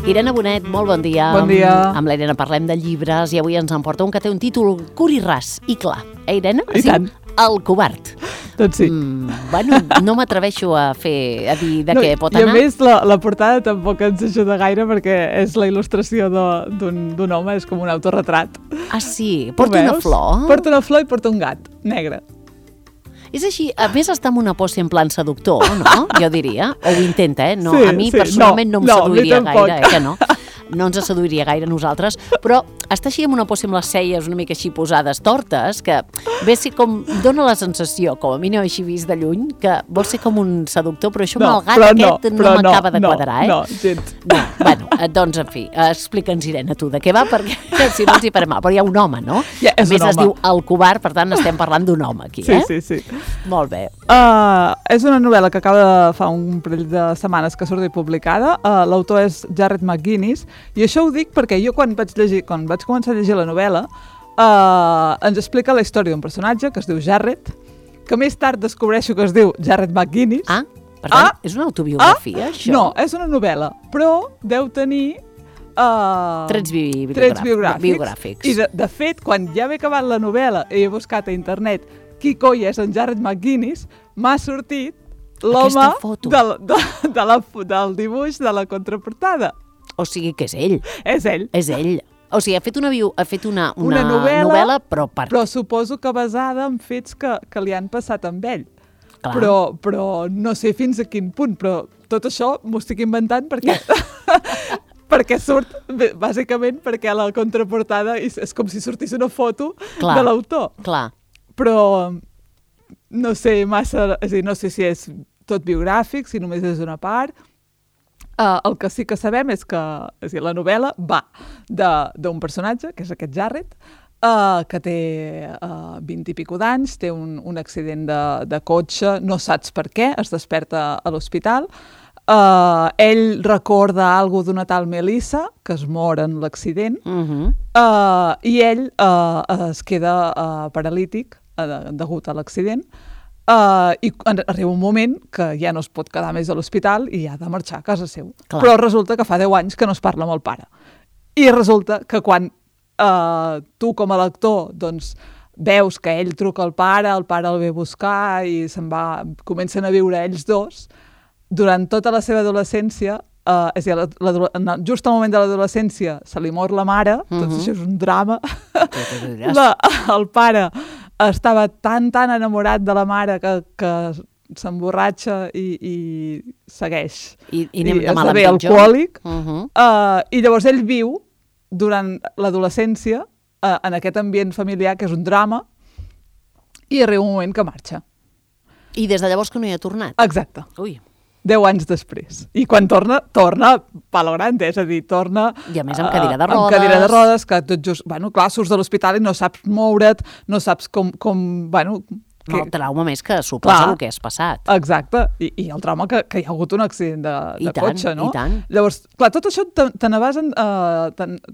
Irene Bonet, molt bon dia. Bon dia. Amb l'Irene parlem de llibres i avui ens en porta un que té un títol curt i ras i clar. Irene? I tant. El covard. Doncs sí. Bueno, no m'atreveixo a dir de què pot anar. anar. I a més, la portada tampoc ens ajuda gaire perquè és la il·lustració d'un home, és com un autorretrat. Ah, sí? Porta una flor? Porta una flor i porta un gat negre. És així, a més està amb una pose en plan seductor, no? Jo diria, o ho intenta, eh? No, sí, a mi personalment no em seduiria gaire, que no? No ens seduiria gaire a nosaltres, però està així amb una posa amb les celles una mica així posades tortes, que ve ser com, dona la sensació, com a mi no he així vist de lluny, que vol ser com un seductor, però això amb el gat aquest no m'acaba de quadrar, eh? No, gens. No, bueno, doncs, en fi, explica'ns, Irene, tu, de què va, perquè si no ens hi farem mal. Però hi ha un home, no? Ja, a més, es diu El covard, per tant, estem parlant d'un home aquí, eh? Sí. Molt bé. És una novel·la que acaba de fa un parell de setmanes que surt publicada. L'autor és Jarrett McGinnis, i això ho dic perquè jo quan vaig començar a llegir la novel·la ens explica la història d'un personatge que es diu Jarrett, que més tard descobreixo que es diu Jarrett McGinnis. Ah, per tant, és una autobiografia, això? No, és una novel·la, però deu tenir trets biogràfics. I de fet, quan ja m'he acabat la novel·la i he buscat a internet qui coi és en Jarrett McGinnis, m'ha sortit l'home del dibuix de la contraportada. O sigui que és ell. És ell. És ell. O sigui, ha fet una novel·la, però suposo que basada en fets que li han passat amb ell. Clar. Però no sé fins a quin punt, però tot això m'ho estic inventant perquè... perquè surt, bàsicament, perquè a la contraportada és com si sortís una foto de l'autor. Clar. Però no sé massa... És a dir, no sé si és tot biogràfic, si només és una part... El que sí que sabem és que la novel·la va d'un personatge, que és aquest Jarrett, que té 20 i pico d'anys, té un accident de cotxe, no saps per què, es desperta a l'hospital. Ell recorda alguna d'una tal Melissa, que es mor en l'accident, i ell es queda paralític degut a l'accident. I arriba un moment que ja no es pot quedar més a l'hospital i ha de marxar a casa seu. Clar. Però resulta que fa 10 anys que no es parla amb el pare. I resulta que quan tu com a lector doncs, veus que ell truca al pare, el pare el ve a buscar i comencen a viure ells dos, durant tota la seva adolescència, és a dir, just al moment de l'adolescència se li mor la mare, tot això és un drama, el pare estava tan enamorat de la mare que s'emborratxa i segueix. I esdevé alcohòlic. I llavors ell viu durant l'adolescència en aquest ambient familiar que és un drama i arriba un moment que marxa. I des de llavors que no hi ha tornat? Exacte. Ui. 10 anys després. I quan torna palo grande, és a dir, torna... I a més amb cadira de rodes. Amb cadira de rodes, que tot just... Bueno, clar, surts de l'hospital i no saps moure't, no saps com el trauma més que suposa el que has passat. Exacte. I el trauma que hi ha hagut un accident de cotxe, no? I tant. Llavors, clar, tot això te n'vas,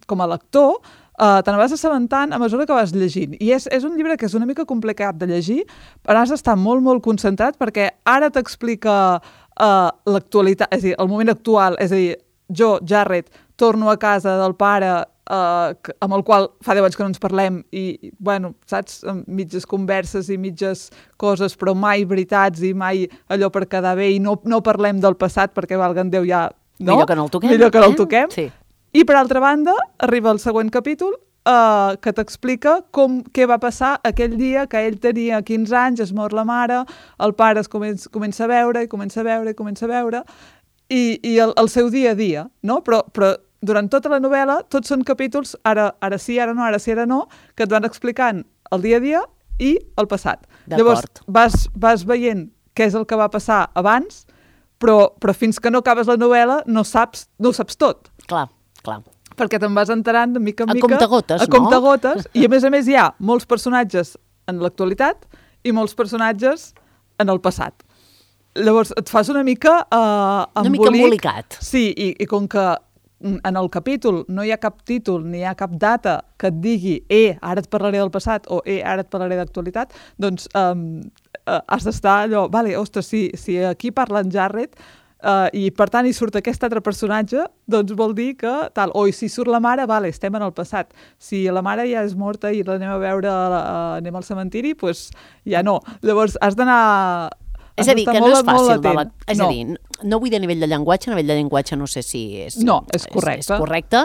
com a lector, te n'has assabentant a mesura que vas llegint. I és un llibre que és una mica complicat de llegir, però has d'estar molt, molt concentrat perquè ara t'explica l'actualitat, és a dir, el moment actual, és a dir, jo, Jarrett, torno a casa del pare amb el qual fa 10 anys que no ens parlem i, bueno, saps, mitges converses i mitges coses, però mai veritats i mai allò per quedar bé i no parlem del passat perquè, valga'm Déu, ja... No? Millor que no el toquem. Millor que no el toquem. Sí. I, per altra banda, arriba el següent capítol que t'explica què va passar aquell dia que ell tenia 15 anys, es mor la mare, el pare es comença a veure i el seu dia a dia, no? Però durant tota la novel·la tots són capítols, ara sí, ara no, que et van explicant el dia a dia i el passat. Llavors vas veient què és el que va passar abans, però fins que no acabes la novel·la no ho saps tot. Clar. Perquè te'n vas enterant de mica en mica. A comptagotes. I a més hi ha molts personatges en l'actualitat i molts personatges en el passat. Llavors et fas una mica embolicat. Sí, i com que en el capítol no hi ha cap títol ni hi ha cap data que et digui ara et parlaré del passat o ara et parlaré d'actualitat, doncs has d'estar allò, vale, ostres, si aquí parla en Jarrett, I per tant hi surt aquest altre personatge, doncs vol dir que tal, o si surt la mare, vale, estem en el passat. Si la mare ja és morta i l'anem a veure, anem al cementiri, doncs ja no. Llavors has d'anar... És a dir, que no és fàcil. És a dir, no vull dir a nivell de llenguatge, no sé si és... No, és correcte. És correcte.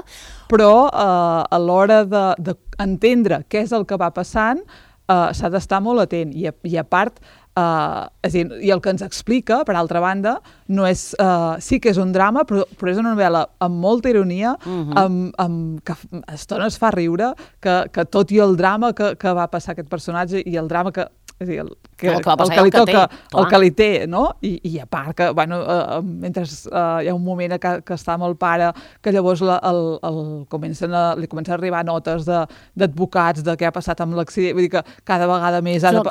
Però a l'hora d'entendre què és el que va passant, s'ha d'estar molt atent. I a part, és a dir, i el que ens explica, per altra banda, no és, sí que és un drama, però és una novel·la amb molta ironia, que a estones fa riure, que tot i el drama que va passar aquest personatge i el drama que... És a dir, el que li té, no? I a part que, bueno, mentre hi ha un moment que està amb el pare, que llavors li comencen a arribar notes d'advocats de què ha passat amb l'accident, vull dir que cada vegada més ha de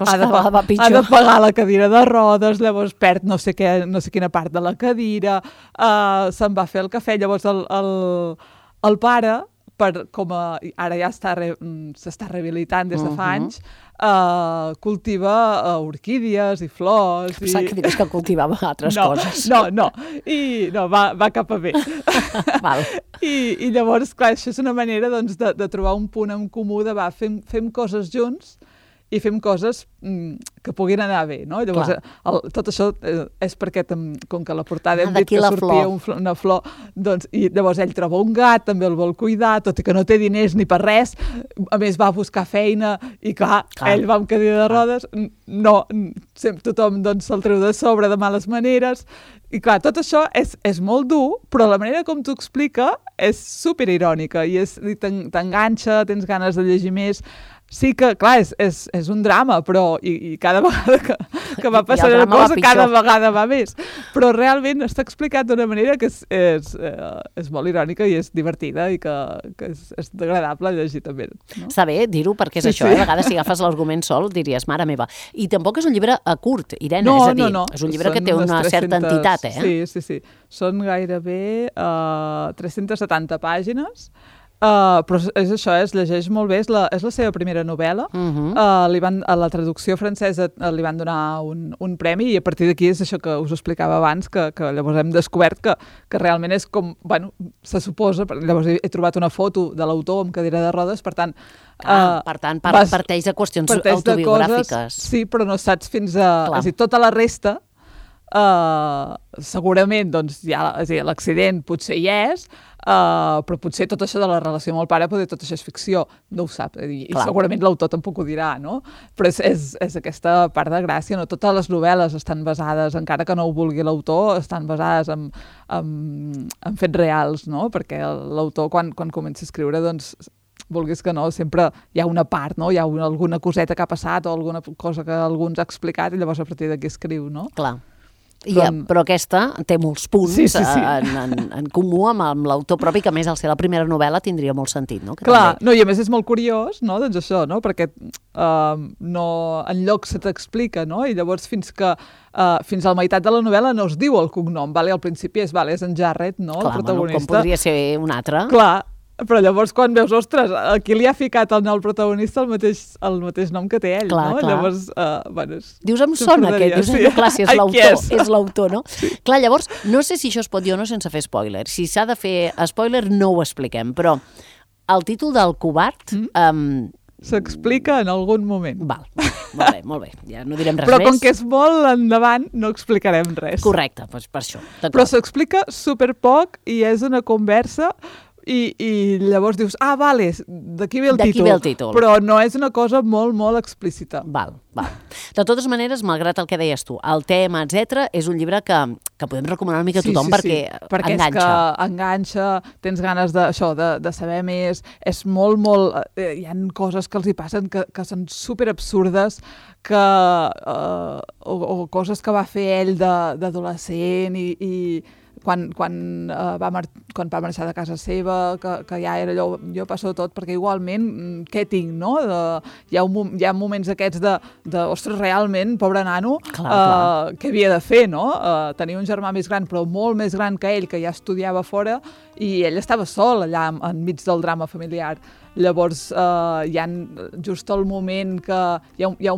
pagar la cadira de rodes, llavors perd no sé quina part de la cadira, se'n va fer el cafè, llavors el pare, ara ja s'està rehabilitant des de fa anys, cultiva orquídies i flors. Pensava que digues que cultivava altres coses. No, i no, va cap a bé. Val. I llavors, clar, això és una manera doncs, de trobar un punt en comú de fem coses junts i fem coses que puguin anar bé, no? Llavors, tot això és perquè, com que a la portada hem dit que sortia una flor, doncs, i llavors ell troba un gat, també el vol cuidar, tot i que no té diners ni per res, a més va buscar feina, i clar. Ell va amb cadira de rodes, tothom doncs, se'l treu de sobre de males maneres, i clar, tot això és molt dur, però la manera com t'ho explica és superirònica, i t'enganxa, tens ganes de llegir més. Sí que, clar, és un drama, però i cada vegada que va passar una cosa, cada vegada va més. Però realment està explicat d'una manera que és molt irònica i és divertida i que és agradable llegir també. No? Està bé dir-ho perquè és això, a vegades si agafes l'argument sol diries, mare meva. I tampoc és un llibre curt, Irene, és a dir, és un llibre que té una certa entitat, Sí. Són gairebé 370 pàgines. Però és això, es llegeix molt bé, és la seva primera novel·la. A la traducció francesa li van donar un premi i a partir d'aquí és això que us explicava abans, que llavors hem descobert que realment és com, bueno, se suposa, llavors he trobat una foto de l'autor amb cadira de rodes, per tant... Per tant, parteix de qüestions autobiogràfiques. Sí, però no saps fins a... És a dir, tota la resta... segurament doncs, l'accident potser hi és, però potser tot això de la relació amb el pare, tot això és ficció, no ho sap, i segurament l'autor tampoc ho dirà, no? Però és aquesta part de gràcia, no? Totes les novel·les estan basades, encara que no ho vulgui l'autor, estan basades en fets reals, no? Perquè l'autor quan comença a escriure, doncs, vulguis que no, sempre hi ha una part, no? Hi ha alguna coseta que ha passat o alguna cosa que algú ens ha explicat i llavors a partir d'aquí escriu, no? Clar. Però aquesta té molts punts en comú amb l'autor propi, que a més al ser la primera novel·la tindria molt sentit, no? Clar, i a més és molt curiós, no? Doncs això, no? Perquè enlloc se t'explica, no? I llavors fins a la meitat de la novel·la no es diu el cognom, al principi és en Jarrett, no? El protagonista. Com podria ser un altre. Clar, però llavors quan veus, ostres, aquí li ha ficat al protagonista el mateix nom que té ell, no? Llavors, dius, em sona aquest, clar, si és l'autor, no? Clar, llavors, no sé si això es pot dir o no sense fer spoiler. Si s'ha de fer spoiler, no ho expliquem, però el títol del Covard... s'explica en algun moment. Val, molt bé, ja no direm res més. Però com que és molt endavant, no explicarem res. Correcte, doncs per això. Però s'explica superpoc i és una conversa... I llavors dius, vale, d'aquí ve el títol. Però no és una cosa molt, molt explícita. Val. De totes maneres, malgrat el que deies tu, el tema, etc., és un llibre que podem recomanar una mica a tothom perquè enganxa. Perquè és que enganxa, tens ganes de saber més, és molt, molt... hi ha coses que els hi passen que són superabsurdes, o coses que va fer ell d'adolescent i quan va marxar de casa seva, que ja era allò, jo passo tot, perquè igualment, què tinc, no? Hi ha moments aquests ostres, realment, pobre nano, què havia de fer, no? Tenia un germà més gran, però molt més gran que ell, que ja estudiava fora, i ell estava sol allà enmig del drama familiar. Llavors, hi ha just el moment que... Hi ha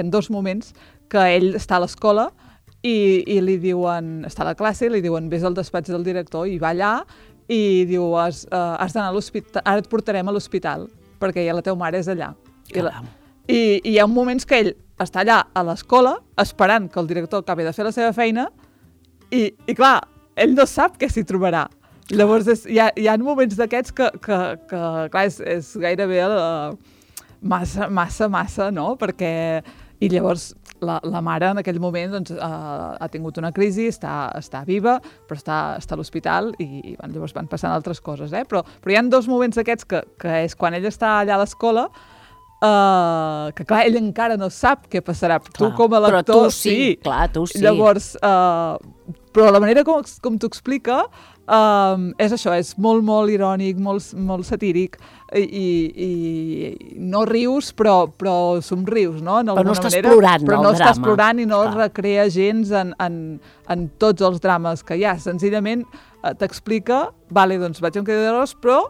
dos moments que ell està a l'escola i li diuen, està a la classe, i li diuen vés al despatx del director, i va allà, i diu, has d'anar a l'hospital, ara et portarem a l'hospital, perquè ja la teva mare és allà. I hi ha moments que ell està allà a l'escola, esperant que el director acabi de fer la seva feina, i clar, ell no sap què s'hi trobarà. Llavors, hi ha moments d'aquests que clar, és gairebé massa, no? Perquè... I llavors la mare en aquell moment doncs, ha tingut una crisi, està viva, però està a l'hospital i llavors van passant altres coses. Però hi ha 2 moments d'aquests que és quan ell està allà a l'escola, que clar, ell encara no sap què passarà. Clar, tu com a lector... Però tu sí, clar, tu sí. Llavors, però la manera com t'ho explica és això, és molt, molt irònic, molt satíric i no rius, però somrius, no? Però no estàs plorant, però no estàs plorant i no es recrea gens en tots els drames que hi ha. Senzillament t'explica, vale, doncs vaig amb queda d'arròs, però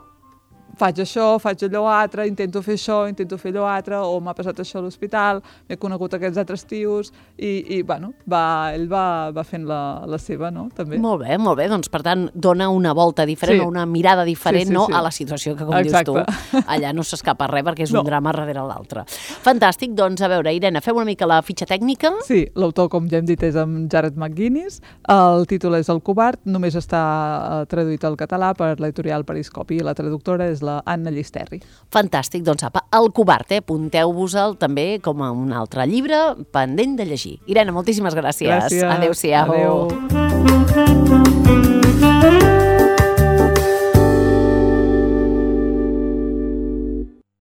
faig això, faig allò altre, intento fer això, intento fer allò altre, o m'ha passat això a l'hospital, m'he conegut aquests altres tios, i bueno, ell va fent la seva, no?, també. Molt bé, doncs per tant dona una volta diferent, o una mirada diferent, sí, a la situació que, com dius tu, allà no s'escapa res perquè és un drama darrere l'altre. Fantàstic, doncs a veure, Irene, fem una mica la fitxa tècnica? Sí, l'autor, com ja hem dit, és amb Jared McGuinness, el títol és El covard, només està traduït al català per l'editorial Periscopi, i la traductora és la Anna Llisterri. Fantàstic, doncs apa, El covard, apunteu-vos-el també com a un altre llibre pendent de llegir. Irene, moltíssimes gràcies. Gràcies. Adéu-siau. Adéu.